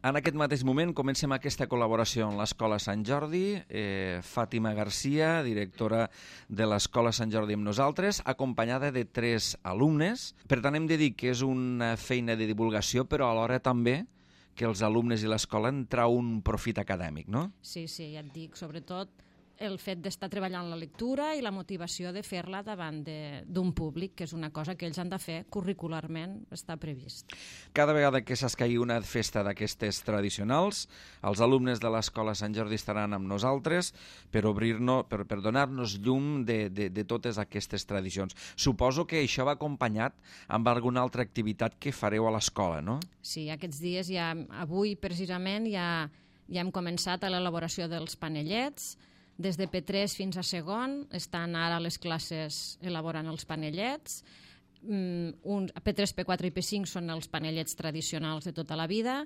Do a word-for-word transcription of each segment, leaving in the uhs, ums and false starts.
En aquest mateix moment comencem aquesta col·laboració amb l'Escola Sant Jordi, eh, Fàtima Garcia, directora de l'Escola Sant Jordi amb nosaltres, acompanyada de tres alumnes. Per tant, hem de dir que és una feina de divulgació, però alhora també que els alumnes i l'escola en trau un profit acadèmic, no? Sí, sí, ja et dic, sobretot el fet d'estar treballant la lectura i la motivació de fer-la davant d'un públic, que és una cosa que ells han de fer curricularment, està previst. Cada vegada que s'escaigui una festa d'aquestes tradicionals, els alumnes de l'Escola Sant Jordi estaran amb nosaltres per obrir-nos, per, per donar-nos llum de, de, de totes aquestes tradicions. Suposo que això va acompanyat amb alguna altra activitat que fareu a l'escola, no? Sí, aquests dies, ja, avui precisament, ja, ja hem començat a l'elaboració dels panellets. Des de P tres fins a segon estan ara les classes elaborant els panellets. Un, P tres, P quatre i P cinc són els panellets tradicionals de tota la vida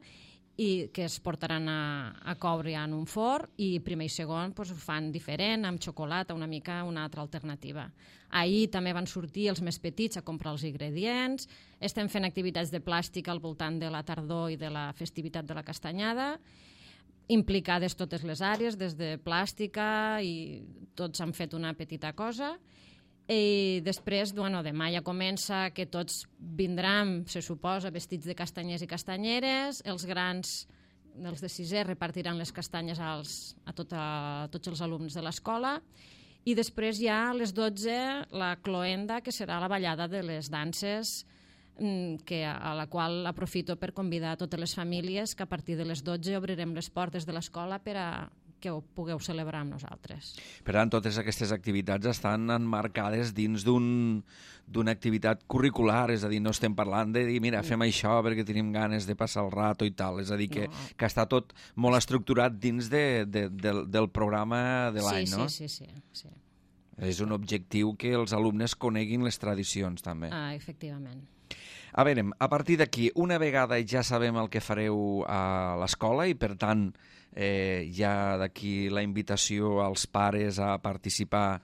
i que es portaran a, a coure en un forn, i primer i segon doncs, ho fan diferent, amb xocolata, una mica una altra alternativa. Ahir també van sortir els més petits a comprar els ingredients. Estem fent activitats de plàstic al voltant de la tardor i de la festivitat de la castanyada, implicades totes les àrees, des de plàstica, i tots han fet una petita cosa. I després, bueno, demà ja comença que tots vindran, se suposa, vestits de castanyers i castanyeres. Els grans, els de sisè, repartiran les castanyes als, a, tot a tots els alumnes de l'escola. I després ja a les dotze la cloenda, que serà la ballada de les danses, que a la qual aprofito per convidar a totes les famílies, que a partir de les dotze obrirem les portes de l'escola per a que ho pugueu celebrar amb nosaltres. Per tant, totes aquestes activitats estan emmarcades dins d'un d'una activitat curricular, és a dir, no estem parlant de dir, mira, fem això perquè tenim ganes de passar el rato i tal, és a dir, que, no. que està tot molt estructurat dins de, de, del, del programa de l'any, sí, no? Sí, sí, sí, sí. És un objectiu que els alumnes coneguin les tradicions, també. Ah, efectivament. A veure, a partir d'aquí, una vegada ja sabem el que fareu a l'escola i, per tant, eh, ja d'aquí la invitació als pares a participar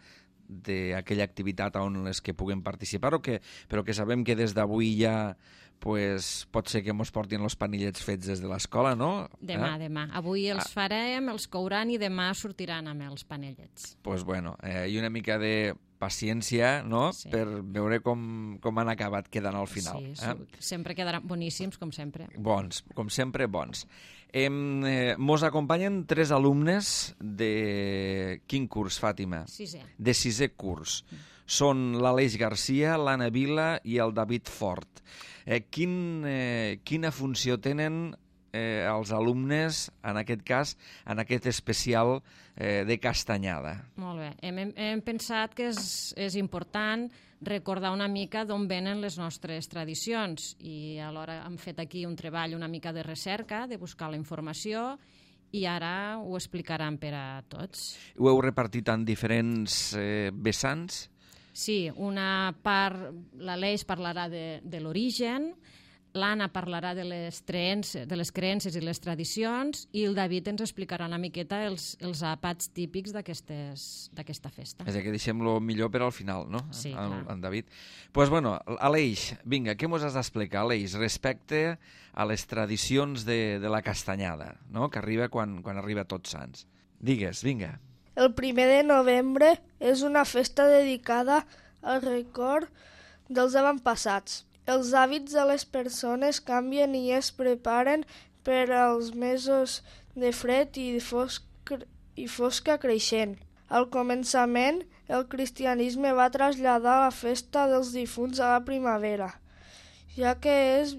d'aquella activitat on les que puguem participar, o que, però que sabem que des d'avui ja pues, pot ser que mos portin els panellets fets des de l'escola, no? Demà, eh? demà. Avui els ah. farem, els couran i demà sortiran amb els panellets. Doncs pues bueno, eh, i una mica de paciència, no?, sí. per veure com, com han acabat quedant al final. Sí, eh? Sempre quedaran boníssims, com sempre. Bons, com sempre, bons. Eh, eh, mos acompanyen tres alumnes de quin curs, Fàtima? Sisè. De sisè curs. Mm. Són l'Aleix Garcia, l'Anna Vila i el David Fort. Eh, quin, eh, quina funció tenen eh, els alumnes, en aquest cas, en aquest especial eh, de castanyada? Molt bé. Hem, hem pensat que és, és important recordar una mica d'on venen les nostres tradicions, i alhora hem fet aquí un treball una mica de recerca, de buscar la informació, i ara ho explicaran per a tots. Ho heu repartit en diferents eh, vessants? Sí, una part, l'Aleix parlarà de, de l'origen, l'Anna parlarà de les, creences, de les creences i les tradicions, i el David ens explicarà una miqueta els, els àpats típics d'aquesta festa. És a dir, que deixem-lo millor per al final, no? Sí, en, clar. En David. Doncs, pues, bueno, Aleix, vinga, què mos has d'explicar, Aleix, respecte a les tradicions de, de la castanyada, no?, que arriba quan, quan arriba Tots Sants. Digues, vinga. El primer de novembre és una festa dedicada al record dels avantpassats. Els hàbits de les persones canvien i es preparen per als mesos de fred i, de fosc, i fosca creixent. Al començament, el cristianisme va traslladar la festa dels difunts a la primavera, ja que es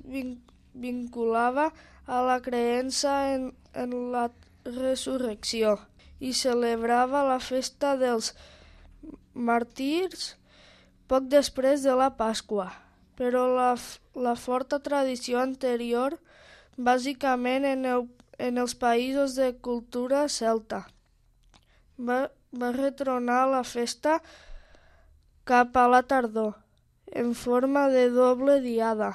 vinculava a la creença en, en la resurrecció, i celebrava la festa dels màrtirs poc després de la Pasqua. Però la, la forta tradició anterior, bàsicament en, el, en els països de cultura celta, va, va retornar la festa cap a la tardor, en forma de doble diada.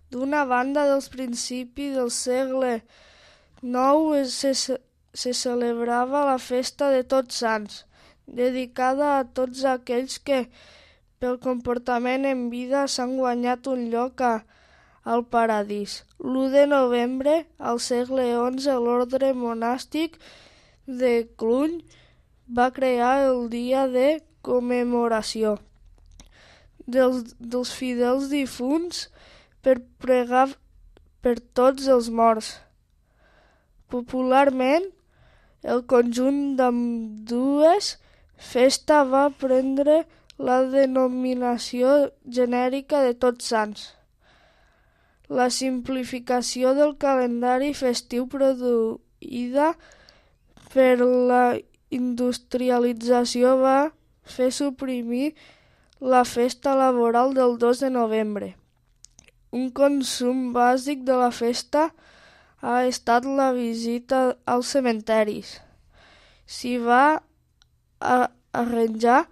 D'una banda, dels principis del segle nou se, se celebrava la festa de Tots Sants, dedicada a tots aquells que, pel comportament en vida, s'han guanyat un lloc a, al paradís. l'u de novembre, al segle onze, l'ordre monàstic de Cluny va crear el dia de commemoració dels, dels fidels difunts per pregar per tots els morts. Popularment, el conjunt d'ambdues festa va prendre la denominació genèrica de Tots Sants. La simplificació del calendari festiu produïda per la industrialització va fer suprimir la festa laboral del dos de novembre. Un consum bàsic de la festa ha estat la visita als cementiris. S'hi va arranjar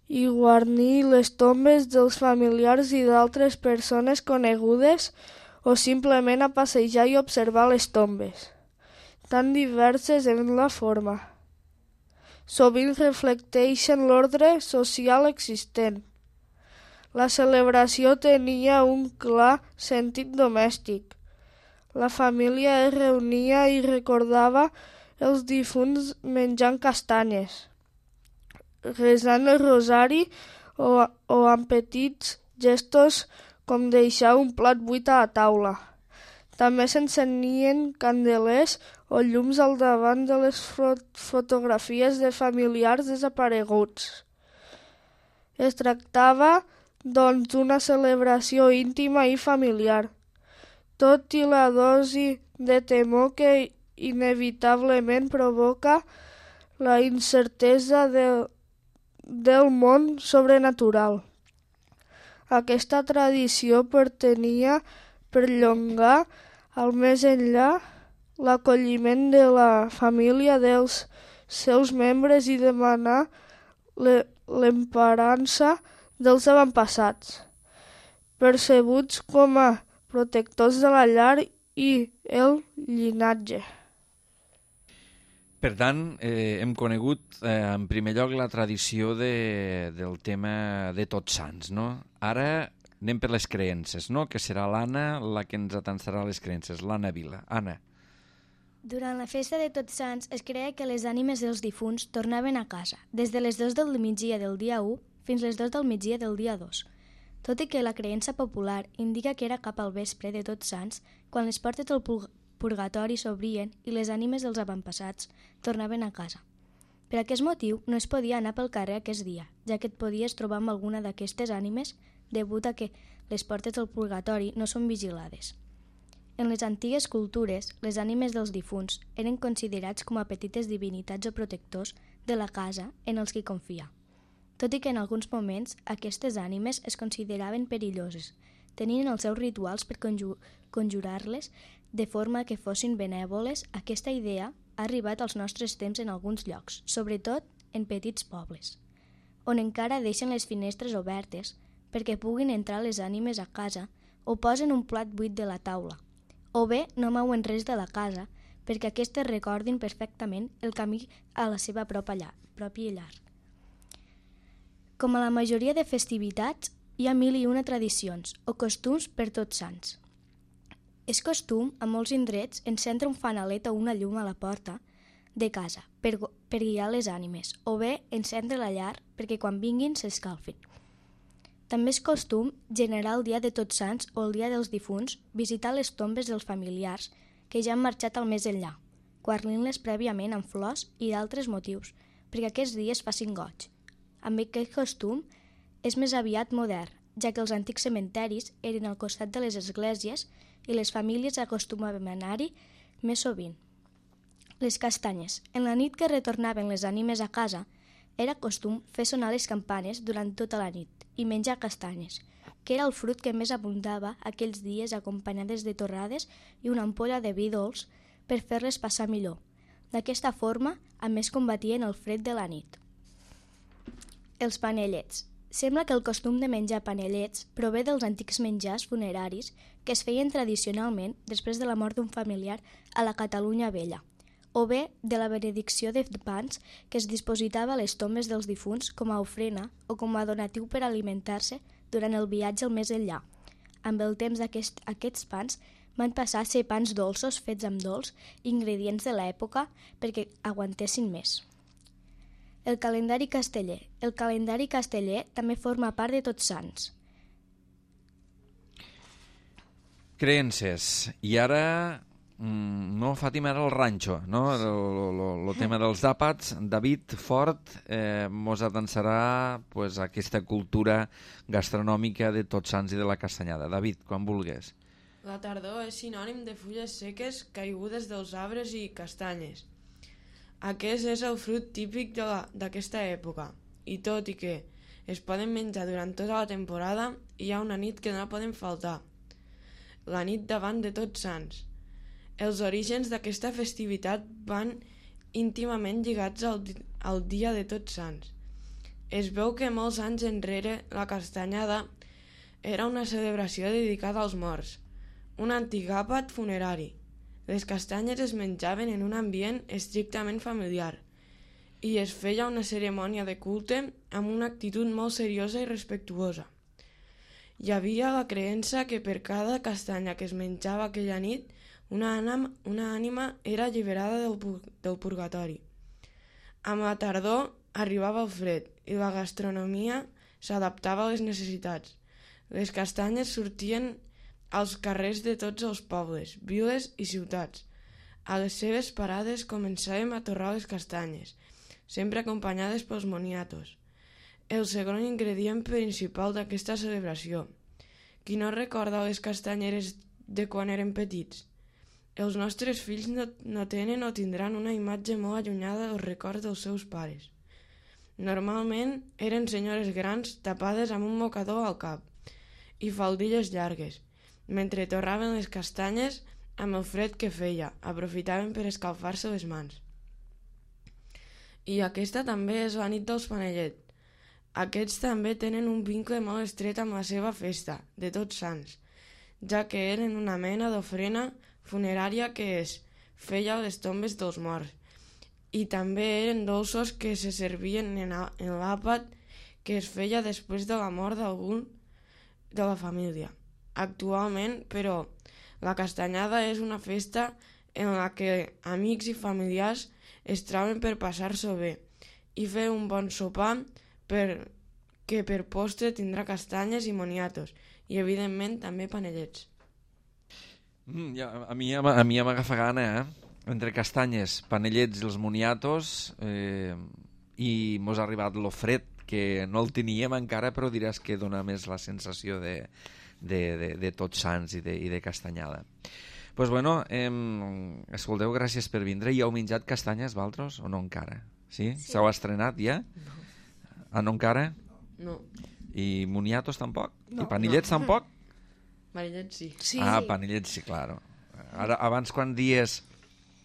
i guarnir les tombes dels familiars i d'altres persones conegudes o simplement a passejar i observar les tombes, tan diverses en la forma. Sovint reflecteixen l'ordre social existent. La celebració tenia un clar sentit domèstic. La família es reunia i recordava els difunts menjant castanyes, resant el rosari o, o amb petits gestos com deixar un plat buit a la taula. També s'encenien candelers o llums al davant de les fotografies de familiars desapareguts. Es tractava, doncs, d'una celebració íntima i familiar, tot i la dosi de temor que inevitablement provoca la incertesa del, del món sobrenatural. Aquesta tradició pretenia perllongar al més enllà l'acolliment de la família dels seus membres i demanar l'emparança dels avantpassats, percebuts com a protectors de la llar i el llinatge. Per tant, eh, hem conegut eh, en primer lloc la tradició de, del tema de Tots Sants, no? Ara anem per les creences, no? Que serà l'Anna la que ens atansarà les creences, l'Anna Vila. Anna. Durant la festa de Tots Sants es creia que les ànimes dels difunts tornaven a casa, des de les dues del migdia del dia u fins les dues del migdia del dia dos. Tot i que la creença popular indica que era cap al vespre de Tots Sants, quan les portes del purgatori s'obrien i les ànimes dels avantpassats tornaven a casa. Per aquest motiu no es podia anar pel carrer aquest dia, ja que et podies trobar amb alguna d'aquestes ànimes degut a que les portes del purgatori no són vigilades. En les antigues cultures, les ànimes dels difunts eren considerats com a petites divinitats o protectors de la casa en els qui confia. Tot i que en alguns moments aquestes ànimes es consideraven perilloses, tenint els seus rituals per conju- conjurar-les de forma que fossin benèvoles, aquesta idea ha arribat als nostres temps en alguns llocs, sobretot en petits pobles, on encara deixen les finestres obertes perquè puguin entrar les ànimes a casa o posen un plat buit de la taula, o bé no mouen res de la casa perquè aquestes recordin perfectament el camí a la seva pròpia llar. Com a la majoria de festivitats, hi ha mil i una tradicions o costums per Tots Sants. És costum, a molts indrets, encendre un fanalet o una llum a la porta de casa per, per guiar les ànimes, o bé encendre la llar perquè quan vinguin s'escalfin. També és costum generar el dia de Tots Sants o el dia dels difunts visitar les tombes dels familiars que ja han marxat al més enllà, guarnint-les prèviament amb flors i d'altres motius, perquè aquests dies facin goig. Amb aquest costum és més aviat modern, ja que els antics cementiris eren al costat de les esglésies i les famílies acostumaven a anar-hi més sovint. Les castanyes. En la nit que retornaven les ànimes a casa, era costum fer sonar les campanes durant tota la nit i menjar castanyes, que era el fruit que més abundava aquells dies acompanyades de torrades i una ampolla de vi dolç per fer-les passar millor. D'aquesta forma, a més combatien el fred de la nit. Els panellets. Sembla que el costum de menjar panellets prové dels antics menjars funeraris que es feien tradicionalment després de la mort d'un familiar a la Catalunya vella, o bé de la benedicció de pans que es dipositava a les tombes dels difunts com a ofrena o com a donatiu per alimentar-se durant el viatge al més enllà. amb el temps aquest, aquests pans van passar a ser pans dolços fets amb dolç i ingredients de l'època perquè aguantessin més. El calendari casteller. El calendari casteller també forma part de Tots Sants. Creences. I ara, mm, no, Fàtima, era el ranxo, no? El tema dels àpats. David Fort eh, mos atançarà pues, aquesta cultura gastronòmica de Tots Sants i de la castanyada. David, quan vulgues. La tardor és sinònim de fulles seques caigudes dels arbres i castanyes. Aquest és el fruit típic d'aquesta època, i tot i que es poden menjar durant tota la temporada, hi ha una nit que no poden faltar, la nit davant de Tots Sants. Els orígens d'aquesta festivitat van íntimament lligats al, al dia de Tots Sants. Es veu que molts anys enrere la castanyada era una celebració dedicada als morts, un antic àpat funerari. Les castanyes es menjaven en un ambient estrictament familiar i es feia una cerimònia de culte amb una actitud molt seriosa i respectuosa. Hi havia la creença que per cada castanya que es menjava aquella nit, una ànima, una ànima era alliberada del, del purgatori. Amb la tardor arribava el fred i la gastronomia s'adaptava a les necessitats. Les castanyes sortien als carrers de tots els pobles, viles i ciutats. A les seves parades començàvem a torrar les castanyes, sempre acompanyades pels moniatos, el segon ingredient principal d'aquesta celebració. Qui no recorda les castanyeres de quan eren petits? Els nostres fills no, no tenen o tindran una imatge molt allunyada dels records dels seus pares. Normalment eren senyores grans tapades amb un mocador al cap i faldilles llargues. Mentre torraven les castanyes, amb el fred que feia, aprofitaven per escalfar-se les mans. I aquesta també és la nit dels panellets. Aquests també tenen un vincle molt estret amb la seva festa, de Tots Sants, ja que eren una mena d'ofrena funerària que es feia a les tombes dels morts, i també eren dolços que se servien en l'àpat que es feia després de la mort d'algun de la família. Actualment, però, la castanyada és una festa en la que amics i familiars es troben per passar-s'ho bé i fer un bon sopar per, que per postre tindrà castanyes i moniatos i, evidentment, també panellets. Mm, ja, a mi, a mi m'agafa gana, eh? Entre castanyes, panellets i els moniatos, eh, i mos ha arribat lo fred, que no el teníem encara, però diràs que dona més la sensació de... De, de, de Tots Sants i de, i de castanyada. Pues bueno, eh, escolteu, gràcies per vindre. I heu menjat castanyes, vosaltres, o no encara? Sí? Sí. S'heu estrenat ja? No. Ah, no encara? No. I moniatos tampoc? No. I panellets no. Tampoc? Panellets sí. Sí. Ah, panellets sí, claro. Ara, abans quan dies,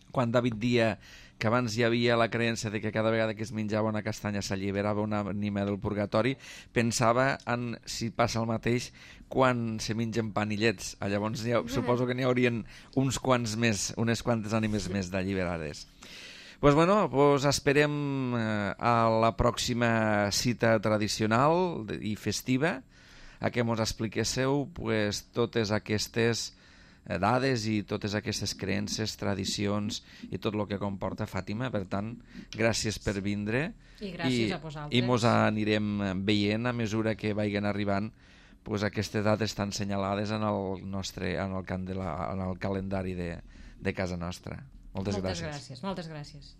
quan David dia que abans hi havia la creença de que cada vegada que es menjava una castanya s'alliberava una ànima del purgatori, pensava en si passa el mateix quan se mengen panellets. Llavors ha, suposo que n'hi haurien uns quants més, unes quantes ànimes més d'alliberades. Pues bueno, pues esperem eh, a la pròxima cita tradicional i festiva a què ens expliquéssiu pues, totes aquestes dades i totes aquestes creences, tradicions i tot el que comporta Fàtima. Per tant, gràcies per vindre i gràcies i, a vosaltres. I mos anirem veient a mesura que vagin arribant pues, aquestes dades tan senyalades en el nostre en el, can de la, en el calendari de, de casa nostra. Moltes, moltes gràcies. gràcies. Moltes gràcies.